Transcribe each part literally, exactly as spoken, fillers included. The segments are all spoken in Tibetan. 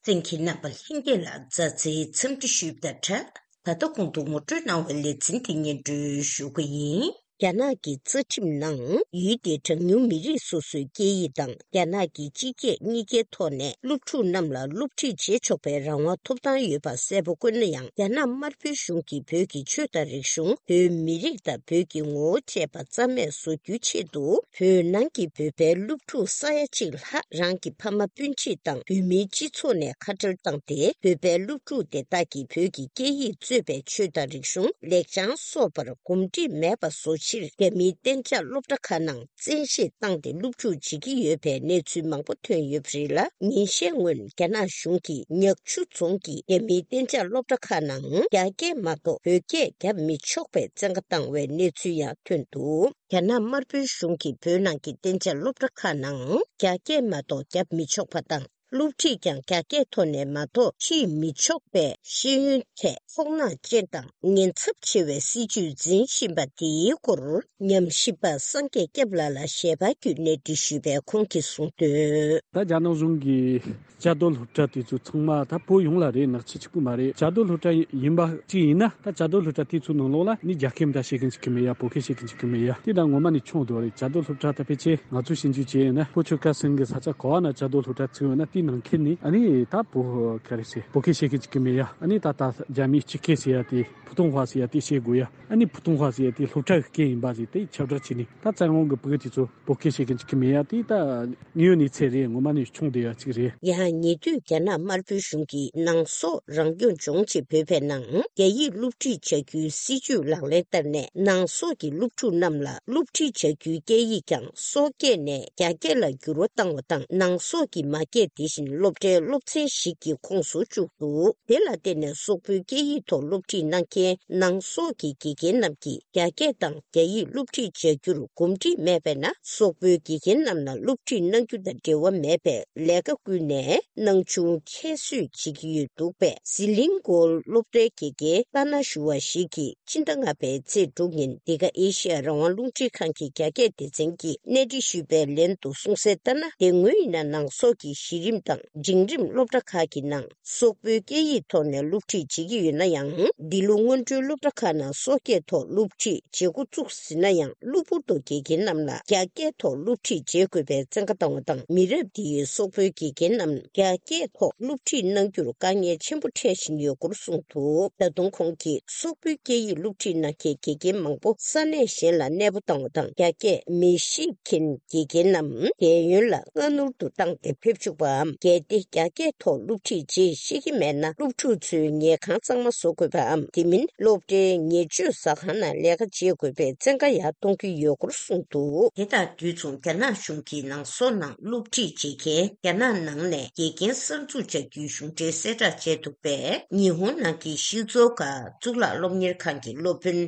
གསན་མཁན་རྣམ་པ་ལྷན་རྒྱས་ལ་མཛའ་བརྩེའི་འཚམས་འདྲི་ཞུས་པ་དང་སྦྲགས། ད་ལྟ་གོང་དུ་ངོ་སྤྲོད་གནང་བའི་ལེ་ཚན་འདི་སྙན་སྒྲོན་ཞུ་གི་ཡིན། རྒྱ་ནག་གི་རྩ་ཁྲིམས་ནང་ཡུལ་དེའི་གྲངས་ཉུང་མི་རིགས་སོ་སོའི་སྐད་ཡིག་དང་རྒྱ་ནག་གི་སྤྱི་སྐད་གཉིས་ཀའི་ཐོག་ནས་སློབ་ཕྲུག་རྣམས་ལ་སློབ་ཁྲིད་བྱེད་ཆོག་པའི་རང་དབང་ཐོབ་ཐང་ཡོད་པ་གསལ་པོ་བཀོད་ན་ཡང་། རྒྱ་ནག་དམར་པོའི་གཞུང་གིས་བོད་ཀྱི་ཆོས་དང་རིག་གཞུང་། བོད་མི་རིགས་དང་བོད་ཀྱི་ངོ་བོ་བཅས་པ་རྩ་མེད་བཟོ་རྒྱུའི་ཆེད་དུ། བོད་ནང་གི་བོད་པའི་སློབ་ཕྲུག་ས་ཡ་གཅིག་ལྷག་རང་གི་ཕ་མ་སྤུན་མཆེད་དང་བོད་མིའི་སྤྱི་ཚོགས་ནས་ཁ་བྲལ་བཏང་སྟེ། བོད་པའི་སློབ་ཕྲུག་དེ་དག་གིས་བོད་ཀྱི་སྐད་ཡིག་གཙོས་པའི་ཆོས་དང་རིག་གཞུང་། ལེགས་བྱང་སོགས་པར་གོམས་འདྲིས་མེད་པ་བཟོ་ཕྱིར། རྒྱ་མིའི་གཏན་འཇགས་སློབ་གྲྭ་ཁག་ནང་བཙན་ཤེད་བཏང་སྟེ་སློབ་ཕྲུག་བྱེད་ཀྱི་ཡོད་པའི་གནས་ཚུལ་མང་པོ་ཐོན་ཡོད་པ་རེད་ལ། ཉིན་ཤས་སྔོན་རྒྱ་ནག་གཞུང་གིས་ཉག་ཆུ་རྫོང་གི་རྒྱ་མིའི་གཏན་འཇགས་སློབ་གྲྭ་ཁག་ནང་རྒྱ་སྐད་མ་གཏོགས་བོད་སྐད་བརྒྱབ་མི་ཆོག་པའི་བཙན་བཀའ་བཏང་བའི་གནས་ཚུལ་ཡང་ཐོན་འདུག་རྒྱ་ནག་དམར་པོའི་གཞུང་གིས་བོད་ནང་གི་གཏན་འཇགས་སློབ་གྲྭ་ཁག་ནང་རྒྱ་སྐད་མ་གཏོགས་བརྒྱབ་མི་ཆོག་པ་དང་། སློབ་ཁྲིད་ཀྱང་རྒྱ་སྐད་ཐོག་ནས་མ་གཏོགས་ཁྲིད་མི་ཆོག་པའི་ཤེས་ཡོན་ཐད་ཚོར་སྣང་ཅན་དང་ཉེན་ཚབས་ཆེ་བའི་སྲིད་ཇུས་འཛིན་བཞིན་པ་དེའི་སྐོར། ཉམས་ཞིབ་པ་སངས་རྒྱས་སྐྱབས་ལགས་ལ་ཞལ་པར་བརྒྱུད་གནས་འདྲི་ཞུས་པས་ཁོང་གིས་གསུངས་དོན། ད་རྒྱ་ནག་གཞུང་གིས་བཅའ་སྡོད་སློབ་གྲྭ་དེ་ཚོ་ཚང་མ་ད་བོད་ཡོངས་ལ་རེད། ནག་ཆུ་གཅིག་པུ་མ་རེད། བཅའ་སྡོད་སློབ་གྲྭ་ཡིན་པ་གཅིག་ཡིན་ན། ད་བཅའ་སྡོད་སློབ་གྲྭ་དེ་ཚོའི་ནང་ལོགས་ལ་ནི་རྒྱ་སྐད་མི་ད་བཤད་མཁན་ཅིག་གི་མེད་ཡ། བོད་སྐད་བཤད་མཁན་ཅིག་གི་མེད་ཡ། དེ་ད་ངོ་མ་ནི་ཆུང་དུ་རེད། བཅའ་སྡོད་སློབ་གྲྭ་ད་ཕལ་ཆེར་ང་ཚོ་ཞིབ་འཇུག་བྱས་ཡོད་ན། ལྷོ་ཕྱོགས་ཁ་སང་གི་ས་ཆ་ག་བ་ན་བཅའ་སྡོད་སློབ་གྲྭ་བཙུགས་ཡོད་ན། དེའི་ནང་ཁུལ་ནི་ཨ་ནི་ད་བོད་ག་རེ་ཟེར། བོད་སྐད་བཤད་མཁན་ཅིག་གི་མེད་ཡ། ཨ་ནི་ད་ད་རྒྱ་མིའི་སྤྱི་སྐད་ཟེར་ཡ་དེ། ཕུ་ཐུང་ཧྭ་ཟེར་ཡ་དེ་བཤད་དགོས་ཡ། ཨ་ནི་ཕུ་ཐུང་ཧྭ་ཟེར་ཡ་དེ་སློབ་གྲྭ་གི་སྐད་ཡིན་པ་ཟེར། དེ་ཁྱབ་བསྒྲགས་བྱས་ནས་ད་བཙན་དབང་གི་བོད་དེ་ཚོ་བོད་སྐད་བཤད་མཁན་ཅིག་གི་མེད་ཡ། དེ་ད་དངོས་ཡོད་གནས་ཚད་རེད། ངོ་མ་ནི་ཆུང་བསྡད་ཡ་ཅིག་རེད། ཡང་ཉེ་དུས་རྒྱ་ནག་དམར་པོའི་གཞུང་གིས་ནང་སོག་རང་སྐྱོང་ལྗོངས་ཀྱི་བོད་པའི་ནང་རྒྱ་ཡིག་སློབ་ཁྲིད་བྱ་རྒྱུའི་སྲིད་ཇུས་ལག་ལེན་བསྟར་ནས། ནང་སོག་གི་སློབ་ཕྲུག་རྣམས་ལ་སློབ་ཁྲིད་བྱ་རྒྱུའི་སྐད་ཡིག་ཀྱང་སོག་སྐད་ནས་རྒྱ་སྐད་ལ་འགྱུར་བ་བཏང་བ་དང་། ནང་སོག་གི་མ་སྐད་དེ་བཞིན་སློབ་གྲྭའི་སློབ་ཚན་ཞིག་གི་ཁོངས་སུ་བཅུག་འདུག་དེ་ལ་བརྟེན་ནས་སོག་པོའི་སྐད་ཡིག་ཐོག་སློབ་ཁྲིད་གནང་མཁན་ནང་སོག་གི་དགེ་རྒན་རྣམས་ཀྱིས་རྒྱ་སྐད་དང་རྒྱ་ཡིག་སློབ་ཁྲིད་བྱ་རྒྱུར་གོམས་འདྲིས་མེད་པས་ན། སོག་པོའི་དགེ་རྒན་རྣམས་ལ་སློབ་ཁྲིད་གནང་རྒྱུ་དང་འབྲེལ་བ་མེད་པའི་ལས་ཀ་བསྐུལ་ནས་སྣང་ཆུང་ཁྱད་གསོད་བྱེད་ཀྱི་ཡོད་འདུག་པས། ཟི་ལིང་གོར་སློབ་གྲྭའི་དགེ་རྒན་ཏཱ་ན་ཞུ་བ་ཞིག་གིས་ཕྱི་ཟླ་ལྔ་པའི་ཚེས་དྲུག་ཉིན་འདི་ག་ཨེ་ཤི་ཡ་རང་དབང་རླུང་འཕྲིན་ཁང་གི་རྒྱ་སྐད་སྡེ་ཚན་གྱིས་གནས་འདྲི་ཞུས་པའི་ལན་དུ་གསུངས་གསལ་ལྟར་ན། དེ་སྔོན་ཡིན་ན་ནང་སོག་གི་གཞི་རིམ་དང་འབྲིང་རིམ་སློབ་གྲྭ་ཁག་གི་ནང་སོག་པོའི་སྐད་ཡིག་ཐོག་ནས་སློབ་ཁྲིད་བྱེད་ཀྱི་ཡོད་ན་ཡང་། འདི་ལོ་སྔོན་འགྲོའི་སློབ་གྲྭ་ཁག་ནང་སོག་སྐད་ཐོག་སློབ་ཁྲིད་བྱེད་འགོ་བཙུགས་ཟིན་ན་ཡང་། གློ་བུར་དུ་དགེ་རྒན་རྣམས་ལ་རྒྱ་སྐད་ཐོག་སློབ་ཁྲིད་བྱེད་དགོས་པའི་བཙན་བཀའ་བཏང་བ་དང་། མི་རབས་འདིའི་སོག་པོའི་དགེ་རྒན་རྣམས་རྒྱ་སྐད་ཐོག་སློབ་ཁྲིད་གནང་རྒྱུར་དཀའ་ངལ་ཆེན་པོ་འཕྲད་བཞིན་ཡོད་སྐོར་གསུངས་འདུག་ད་དུང་ཁོང་གིས་སོག་པོའི་སྐད་ཡིག་སློབ་ཁྲིད་གནང་མཁན་དགེ་རྒན་མང་པོ་ས་གནས་གཞན་ལ་གནས་སྤོ་བཏང་བ་དང་། རྒྱ་སྐད་མི་ཤེས་མཁན་དགེ་རྒན་རྣམས་རྒས་ཡོལ་ལ་སྔ་སྣུར་དུ་བཏང་སྟེ་ཕེབས་བཅུག་པའམ། གལ་ཏེ་རྒྱ་སྐད་ཐོག་སློབ་ཁྲིད་རྗེས་ཤེས་ཀྱི་མེད་ན། སློབ་ཕྲུག་ཚོའི་ཉལ་ཁང་གཙང་མ་བཟོ་དགོས་པའམ། དེ་མིན་སློབ་གྲྭའི་ཉེར་སྤྱོད་ཟ་ཁང་ནང་ལས་ཀ་བྱེད་དགོས་པའི་བཙན་བཀའ་ཡང་གཏོང་གི་ཡོད་སྐོར་གསུངས་འདུག་དེ་དང་དུས་མཚུངས་རྒྱ་ནག་གཞུང་གིས་ནང་སོག་ནང་སློབ་ཁྲིད་བྱེད་མཁན་རྒྱ་ནག་ནང་ནས་དགེ་རྒན་གསར་འཛུགས་བྱ་རྒྱུའི་གཞུང་འབྲེལ་གསལ་བསྒྲགས་བྱས་འདུག་པས། ཉི་ཧོང་ནང་གི་ཤིའུ་ཙོའུ་ག་གཙུག་ལག་སློབ་གཉེར་ཁང་གི་སློབ་དཔོན་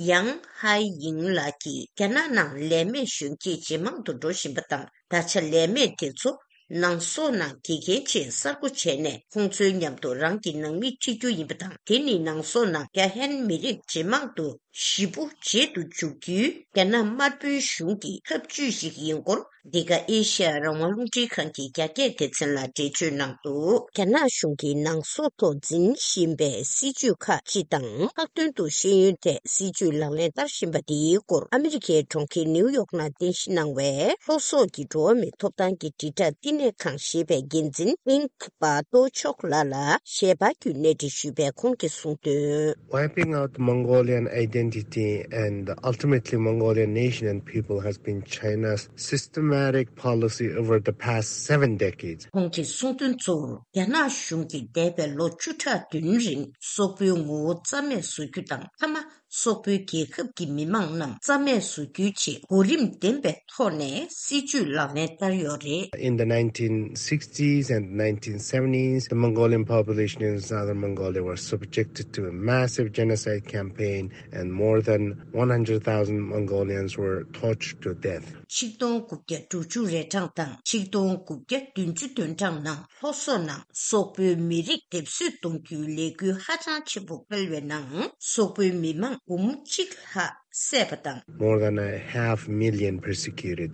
ཡང་ཧའེ་ཡིང་ལགས་ཀྱིས། རྒྱ་ནག་ནང་ལས་མེད་གཞོན་སྐྱེས་ཇེ་མང་དུ་འགྲོ་བཞིན་པ་དང་། ད་ཆ་ལས་མེད་དེ་ཚོ་ནང་སོག་ནང་དགེ་རྒན་ཆེད་གསར་བསྐོ་བྱས་ནས། ཁོང་ཚོའི་མཉམ་དུ་རང་གི་ནང་མི་ཁྲིད་རྒྱུ་ཡིན་པ་དང་། དེ་ནི་ནང་སོག་ནང་རྒྱ་ཧན་མི་རིགས་ཇེ་མང་དུ་ཞེ་པོ་བརྗེད་དུ་འཇུག་རྒྱུའི་རྒྱ་ནག་དམར་པོའི་གཞུང་གི་ཐབས་ཇུས་ཤིག་ཡིན་སྐོར། འདི་ག་ཨེ་ཤི་ཡ་རང་དབང་རླུང་འཕྲིན་ཁང་གི་རྒྱ་སྐད་སྡེ་ཚན་ལ་འགྲེལ་བརྗོད་གནང་འདུག་རྒྱ་ནག་གཞུང་གིས་ནང་སོག་ཐོག་འཛིན་བཞིན་པའི་སྲིད་ཇུས་ཁག་སྤྱི་དང་། ལྷག་དོན་དུ་ཤེས་ཡོན་ཐད་སྲིད་ཇུས་ལག་ལེན་བསྟར་བཞིན་པ་དེའི་སྐོར། ཨ་མི་རི་ཀའི་གྲོང་ཁྱེར་ནིའུ་ཡོག་ནང་རྟེན་གཞི་གནང་བའི་ལྷོ་སོག་གི་འགྲོ་བ་མིའི་ཐོབ་ཐང་གི་དྲིལ་བསྒྲགས་བསྟི་གནས་ཁང་ཞེས་པའི་འགན་འཛིན་ཨིང་པ་ཏོ་ཆོག་ལགས་ལ་ཞལ་པར་བརྒྱུད་གནས་འདྲི་ཞུས་པས་ཁོང་གིས་གསུངས་དོན། Wiping out Mongolian identity and ultimately Mongolian nation and people has been China's systematic policy over the past seven decades. ཁོང་གིས་གསུངས་དོན་གཙོ་བོར། རྒྱ་ནག་གཞུང་གིས་འདས་པའི་ལོ་བཅུ་ཕྲག་བདུན་རིང་སོག་པོའི་ངོ་བོ་རྩ་མེད་བཟོ་རྒྱུ་དང་། མཐའ་མ་སོག་པོའི་རྒྱལ་ཁབ་ཀྱི་མི་མང་རྣམས་རྩ་མེད་བཟོ་རྒྱུའི་ཆེད་གོ་རིམ་ལྡན་པའི་ཐོག་ནས་སྲིད་ཇུས་ལག་ལེན་བསྟར་ཡོད་རེད། In the nineteen sixties and nineteen seventies, the Mongolian population in southern Mongolia were subjected to a massive genocide campaign, and more than one hundred thousand Mongolians were tortured to death. ཆིག་སྟོང་དགུ་བརྒྱ་དྲུག་ཅུ་རེ་གྲངས་དང་ཆིག་སྟོང་དགུ་བརྒྱ་བདུན་ཅུ་དོན་གྲངས་ནང་ལྷོ་སོག་ནང་སོག་པོའི་མི་རིགས་སྡེབ་གསོད་གཏོང་རྒྱུའི་ལས་འགུལ་ཧ་ཅང་ཆེན་པོ་སྤེལ་བའི་ནང་སོག་པོའི་མི་མང་འབུམ་གཅིག་ལྷག་བསད་པ་དང་། More than a half million persecuted.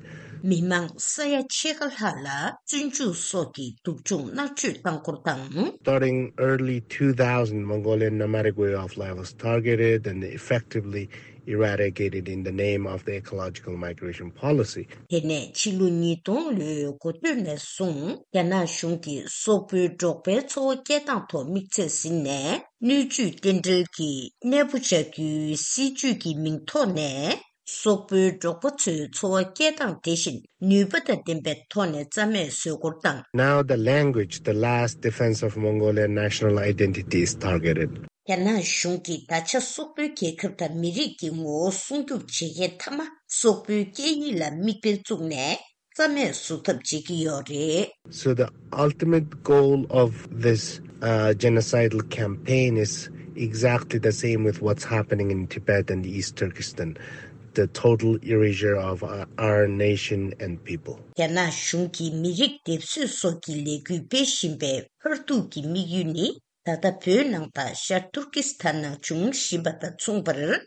མི་མང་ས་ཡ་ཕྱེད་ཀ་ལྷག་ལ་བཙོན་འཇུག་སོགས་ཀྱི་སྡུག་སྦྱོང་མནར་གཅོད་བཏང་སྐོར་དང་། Starting early two thousand, Mongolian nomadic way of life was targeted and effectively eradicated in the name of the ecological migration policy. དེ་ནས་ཕྱི་ལོ་ཉིས་སྟོང་ལོའི་འགོ་སྟོད་ནས་བཟུང་རྒྱ་ནག་གཞུང་གིས་སོག་པོའི་འབྲོག་པའི་འཚོ་བ་སྐྱེལ་སྟངས་ཐོག་དམིགས་ཚད་ཟིན་ནས། སྣོད་བཅུད་རྟེན་འབྲེལ་གྱི་གནས་སྤོ་བྱ་རྒྱུའི་སྲིད་ཇུས་ཀྱི་མིང་ཐོག་ནས། སོག་པོའི་འབྲོག་པ་ཚོའི་འཚོ་བ་སྐྱེལ་སྟངས་དེ་བཞིན་ནུས་པ་དང་ལྡན་པའི་ཐོག་ནས་རྩ་མེད་བཟོ་སྐོར་དང་། Now the language, the last defense of Mongolian national identity, is targeted. རྒྱ་ནག་གཞུང་གིས་ད་ཆ་སོག་པོའི་རྒྱལ་ཁབ་དང་མི་རིགས་ཀྱི་ངོ་བོ་སྲུང་སྐྱོབ་བྱེད་མཁན་མཐའ་མ་སོག་པོའི་སྐད་ཡིག་ལ་མིག་དཔེ་བཙུགས་ནས་རྩ་མེད་བཟོ་ཐབས་བྱེད་ཀྱི་ཡོད་རེད། So the ultimate goal of this uh, genocidal campaign is exactly the same with what's happening in Tibet and East Turkestan, the total erasure of uh, our nation and people. རྒྱ་ནག་གཞུང་གིས་མི་རིགས་སྡེབ་གསོད་སོགས་ཀྱི་ལས་འགུལ་སྤེལ་བཞིན་པའི་མཐར་ཐུག་གི་དམིགས་ཡུལ་ནི། ད་ལྟ་བོད་ནང་དང་ཤར་ཏུར་ཀི་སི་ཐན་ནང་འབྱུང་བཞིན་པ་དང་མཚུངས་པར།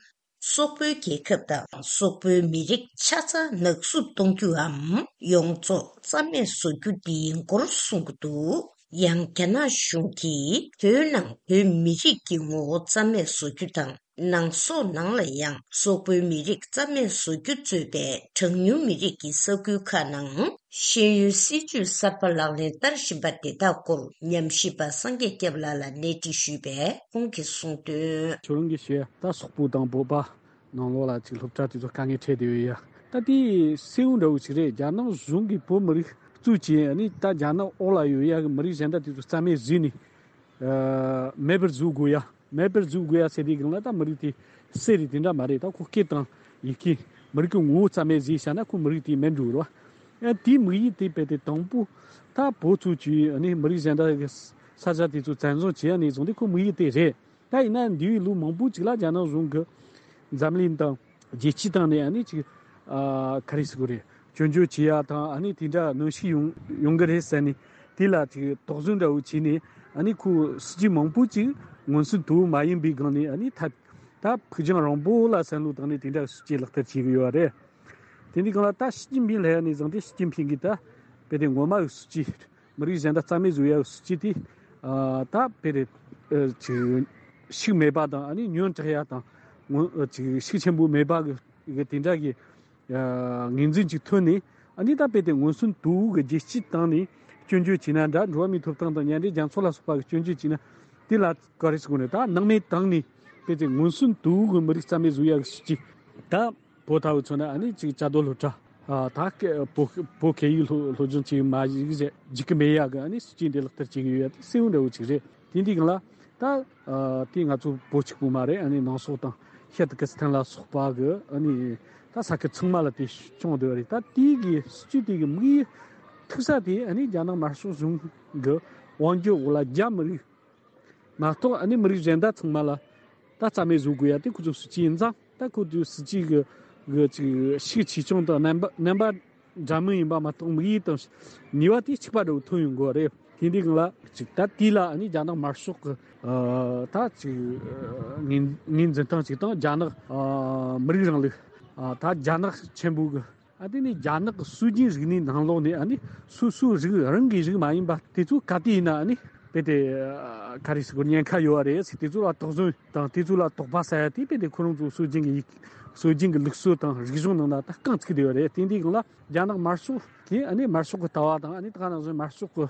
སོག་པོའི་རྒྱལ་ཁབ་དང་སོག་པོའི་མི་རིགས་ཆ་ཚང་ནག་བསུབ་གཏོང་རྒྱུའམ་ཡོངས་རྫོགས་རྩ་མེད་བཟོ་རྒྱུ་འདི་ཡིན་སྐོར་གསུང་གི་འདུག། ཡང་རྒྱ་ནག་གཞུང་གིས་བོད་ནང་བོད་མི་རིགས་ཀྱི་ངོ་བོ་རྩ་མེད་བཟོ་རྒྱུ་དང་། ནང་སོག་ནང་ལ་ཡང་སོག་པོའི་མི་རིགས་རྩ་མེད་བཟོ་རྒྱུ་གཙོས་པའི་གྲངས་ཉུང་མི་རིགས་ཀྱི་ས་ཁུལ་ཁག་ནང་ཤེས་ཡོན་སྲིད་ཇུས་གསར་པ་ལག་ལེན་བསྟར་བཞིན་པ་དེ་དག་སྐོར་ཉམས་ཞིབ་པ་སངས་རྒྱས་སྐྱབས་ལགས་ལ་གནས་འདྲི་ཞུས་པས། ཁོང་གིས་གསུངས་དོན། ཁྱོད་རང་གིས་བཤད་ད་སོག་པོ་དང་བོད་པ་ནང་ལོགས་ལ་ཅིག་སློབ་གྲྭ་དེ་ཚོ་དཀའ་ངལ་འཕྲད་བསྡད་ཡོད་ཡ། ད་དེ་གསལ་བོ་འདྲ་བོ་ཞིག་རེད། རྒྱ་ནག་གཞུང་གིས་བོད་མི་རིགས་གཙོས་བྱས་ཨ་ནི་ད་རྒྱ་ནག་འོག་ལ་ཡོད་ཡ་གི་མི་རིགས་གཞན་དག་དེ་ཚོ་རྩ་མེད་བཟོས་ནས་ཨ་མེད་པར་བཟོ་དགོས་ཡ། མེད་པར་བཟོ་དགོས་ཡ་ཟེར་དུས་སྒང་ལ་ད་མི་རིགས་དེ་གསེར་རེད། དེ་འདྲ་མ་རེད། ད་ཁོ་སྐད་དང་ཡི་གེ་མི་རིགས་ཀྱི་ངོ་བོ་རྩ་མེད་བཟོས་བཞག་ན་ཁོ་མི་རིགས་དེ་མེད་འགྲོ་རེད་བ། ཡང་དེའི་དམིགས་ཡུལ་དེ་རྦད་དེ་དང་པོ་ད་བོད་གཙོས་ཀྱི་ཨ་ནི་མི་རིགས་གཞན་དག་གི་ས་ཆ་དེ་ཚོ་བཙན་བཟུང་བྱས་ནས་བཟུང་སྟེ་ཁོ་དམིགས་ཡུལ་དེ་རེད། ད་ཡིན་ན་འདས་པའི་ལོ་མང་པོ་ཅིག་ལ་རྒྱ་ནག་གཞུང་གིས་འཛམ་གླིང་དང་རྒྱལ་སྤྱིའི་སྟེང་ནས་ཨ་ནི་ཅིག་ཨ་ག་རེ་ཟེར་དགོས་རེད། སྐྱོན་བརྗོད་བྱེད་ཡ་དང་ཨ་ནི་དེ་འདྲ་གནོན་ཤུགས་ཡོང་ཡོང་གི་རེད་ཟེར་ནས་དེ་ལ་ཅིག་དོགས་ཟོན་འདྲ་བོ་བྱས་ནས་ཨ་ནི་ཁོ་སྲིད་ཇུས་མང་པོ་ཅིག་མངོན་སུམ་དུ་མ་ཡིན་པའི་སྒང་ནས་ཨ་ནི་ད་ད་ཕུགས་རྒྱང་རིང་པོ་ལ་བསམ་བློ་བཏང་ནས་དེ་འདྲ་སྲིད་ཇུས་ལག་བསྟར་བྱེད་ཀྱི་ཡོད་རེད། དེ་འདི་སྒང་ལ་ད་ཞི་ཅིན་ཕིང་ལ་ཡ་ནས་བཟུང་སྟེ་ཞི་ཅིན་ཕིང་གིས་ད་དཔེ་དེ་ངོ་མ་གི་སྲིད་ཇུས། མི་རིགས་གཞན་དག་རྩ་མེད་བཟོ་ཡ་གི་སྲིད་ཇུས་དེ་ཨ་ད་དཔེ་རེད། ཨ་ཅིག་ཤུགས་མེད་པ་དང་ཨ་ནི་ཉོན་དྲག་ཡ་དང་ངོ་ཨ་ཅིག་ཤུགས་ཆེན་པོ་མེད་པ་གི་གི་དེ་འདྲ་གི་ཨ་ངོས་འཛིན་ཅིག་ཐོན་ནས་ཨ་ནི་ད་དཔེ་དེ་མངོན་སུམ་དུ་གི་རྒྱལ་སྤྱིའི་སྟེང་ནས་སྐྱོན་བརྗོད་བྱས་ན་འདྲ། འགྲོ་བ་མིའི་ཐོབ་ཐང་དང་མཉམ་འབྲེལ་རྒྱལ་ཚོགས་ལ་སོགས་པ་གི་སྐྱོན་བརྗོད་བྱས་ན་དེ་ལ་ག་རེ་ཟེར་དགོས་ནས་ད་སྣང་མེད་བཏང་ནས་དཔེ་དེ་མངོན་སུམ་དུ་གི་མི་རིགས་རྩ་མེད་བཟོ་ཡ་གི་སྲིད་ཇུས་ད། བོད་ལྟ་བུ་མཚོན་ན་ཨ་ནི་ཅིག་བཅའ་སྡོད་སློབ་གྲྭ་ཨ་ད་ཀ་བོད་བོད་སྐད་ཡིག་སློབ་སློབ་སྦྱོང་བྱེད་མ་བཅུག་ཟེར་བཅུག་གི་མེད་ཡ་གི་ཨ་ནི་སྲིད་ཇུས་འདི་ལག་བསྟར་བྱེད་ཀྱི་ཡོད་ཡ་དེ་གསལ་བོ་འདྲ་བོ་ཅིག་རེད། དེ་འདི་སྒང་ལ་ད་ཨ་དེ་ང་ཚོ་བོད་གཅིག་པུ་མ་རེད། ཨ་ནི་ནང་སོག་དང་ཤར་ཏུར་ཀི་སི་ཐན་ལ་སོགས་པ་གི་ཨ་ནི་ད་ས་ཁུལ་ཚང་མ་ལ་དེ་བྱུང་བསྡད་པ་རེད། ད་དེ་གི་སྲིད་ཇུས་དེ་གི་དམིགས་ཡུལ་ཐུག་ས་དེ་ཨ་ནི་རྒྱ་ནག་དམར་ཤོག་གཞུང་གི་དབང་སྒྱུར་འོག་ལ་རྒྱ་མི་རིགས། མ་གཏོགས་ཨ་ནི་མི་རིགས་གཞན་དག་ཚང་མ་ལ་ད་རྩ་མེད་བཟོ་དགོས་ཡ་དེ་ཁོ་ཚོ་སྲིད་ཇུས་ཡིན་ཙང་། ད་ཁོ་ཚོའི་སྲིད་ཇུས་གི་གི་ཅིག་ཤུགས་ཆེ་ཆུང་དང་རྣམ་པ་རྣམ་པ་འདྲ་མིན་ཡིན་པ་མ་གཏོགས་དམིགས་ཡུལ་དང་ནུས་པ་དེ་གཅིག་པ་འདྲ་བོ་ཐོན་ཡོང་དགོས་རེད། དེ་འདི་སྒང་ལ་ཅིག་ད་དེ་ལ་ཨ་ནི་རྒྱ་ནག་དམར་ཤོག་གི་ཨ་ད་ཅིག་ངོས་ངོས་འཛིན་སྟངས་ཅིག་དང་རྒྱ་ནག་ཨ་མི་རིགས་རིང་ལུགས་ཨ་ད་རྒྱ་ནག་ཆེན་པོ་གི་ཨ་དེ་ནི་རྒྱ་ནག་གི་སྲོལ་རྒྱུན་རིག་གནས་ནང་ལོགས་ནས་ཨ་ནི་སོ་སོའི་རིགས་རང་གི་རིགས་མ་ཡིན་པ་དེ་ཚོ་ག་དུས་ཡིན་ན་ཨ་ནི་དཔེ་དེ་ཨ་ག་རེ་ཟེར་དགོས་ཉེན་ཁ་ཡོད་པ་རེད་ཟེར། དེ་ཚོ་ལ་དོགས་ཟོན་དང་དེ་ཚོ་ལ་དོགས་པ་ཟ་ཡ་དེ་དཔེ་དེ་ཁོ་རང་ཚོའི་སྲོལ་རྒྱུན་གྱི་ཡིག་སྲོལ་རྒྱུན་གྱི་ལུགས་སྲོལ་དང་རིག་གཞུང་ནང་ན་ད་རྐང་བཙུགས་བསྡད་ཡོད་རེད། དེ་འདི་སྒང་ལ་རྒྱ་ནག་དམར་ཤོག་གིས་ཨ་ནི་དམར་ཤོག་གི་ལྟ་བ་དང་ཨ་ནི་ད་ག་ནང་བཞིན་དམར་ཤོག་གི་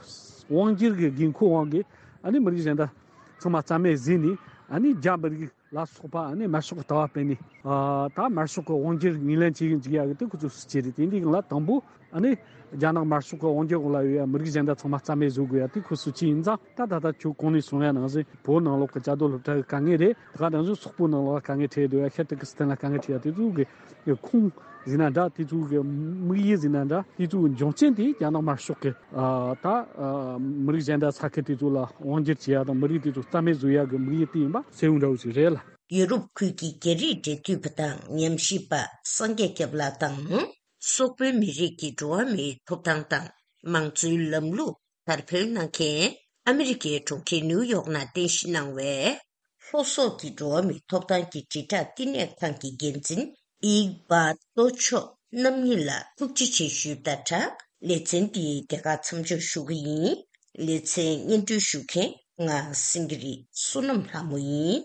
དབང་སྒྱུར་གྱི་དགོས་མཁོ་དབང་གིས་ཨ་ནི་མི་རིགས་གཞན་དག་ཚང་མ་རྩ་མེད་བཟོས་ནས་ཨ་ནི་རྒྱ་མི་རིགས་ལ་སོགས་པ་ཨ་ནི་དམར་ཤོག་གི་ལྟ་བ་སྤེལ་ནས་ཨ་ད་དམར་ཤོག་གི་དབང་སྒྱུར་ངོས་ལེན་བྱེད་ཀྱི་འཇུག་ཡ་གི་དེ་ཁོ་ཚོའི་སྲིད་ཇུས་རེད། དེ་འདི་སྒང་ལ་དང་པོ་ཨ་ནི་རྒྱ་ནག་དམར་ཤོག་གི་དབང་སྒྱུར་འོག་ལ་ཡོད་ཡ་མི་རིགས་གཞན་དག་ཚང་མ་རྩ་མེད་བཟོ་དགོས་ཡ་དེ་ཁོ་སྲིད་ཇུས་ཡིན་ཙང་། ད་ད་ལྟ་ཁྱོད་གོང་ནས་གསུངས་ཡ་ནང་བཞིན་བོད་ནང་ལོགས་ཀྱི་བཅའ་སྡོད་སློབ་གྲྭ་གི་དཀའ་ངལ་རེད། ད་ག་ནང་བཞིན་སོག་པོ་ནང་ལོགས་ལ་དཀའ་ངལ་འཕྲད་འདུག་ཡ། ཤར་ཏུར་ཀི་སི་ཐན་ལ་དཀའ་ངལ་འཕྲད་ཡ་དེ་ཚོ་གི་ཁུངས་ཟིན་ན་འདྲ། དེ་ཚོ་གི་དམིགས་ཡུལ་ཟིན་ན་འདྲ། དེ་ཚོ་གི་འབྱུང་རྐྱེན་དེ་རྒྱ་ནག་དམར་ཤོག་གི་ཨ་ད་ཨ་མི་རིགས་གཞན་དག་ས་ཁུལ་དེ་ཚོ་ལ་དབང་སྒྱུར་བྱེད་ཡ་དང་མི་རིགས་དེ་ཚོ་རྩ་མེད་བཟོ་ཡ་གི་དམིགས་ཡུལ་དེ་ཡིན་པ་གསལ་བོ་འདྲ་བོ་ཞིག་རེད་ལ། ཡུ་རོབ་ཁུལ་གྱི་རྒྱ་རིགས་འབྲེལ་མཐུད་པ་དང་ཉམས་ཞིབ་པ་སངས་རྒྱས་སྐྱབས་ལགས་དང་། སོག་པོའི་མི་རིགས་ཀྱི་འགྲོ་བ་མིའི་ཐོབ་ཐང་དང་མང་གཙོའི་ལམ་ལུགས་དར་སྤེལ་གནང་མཁན་ཨ་མི་རི་ཀའི་གྲོང་ཁྱེར་ནིའུ་ཡོག་ནང་རྟེན་གཞི་གནང་བའི་ལྷོ་སོག་གི་འགྲོ་བ་མིའི་ཐོབ་ཐང་གི་དྲིལ་བསྒྲགས་བསྟི་གནས་ཁང་གི་འགན་འཛིན་ཨིག་བྷ་ཏོ་མཆོག་ རྣམ་གཉིས་ལ་ཐུགས་རྗེ་ཆེ་ཞུས་དང་སྦྲགས། ལེ་ཚན་འདི་དེ་ག་མཚམས་འཇོག་ཞུ་གི་ཡིན། ལེ་ཚན་སྙན་སྒྲོན་ཞུ་མཁན་ང་སེང་གེ་རི་བསོད་ནམས་ལྷ་མོ་ཡིན།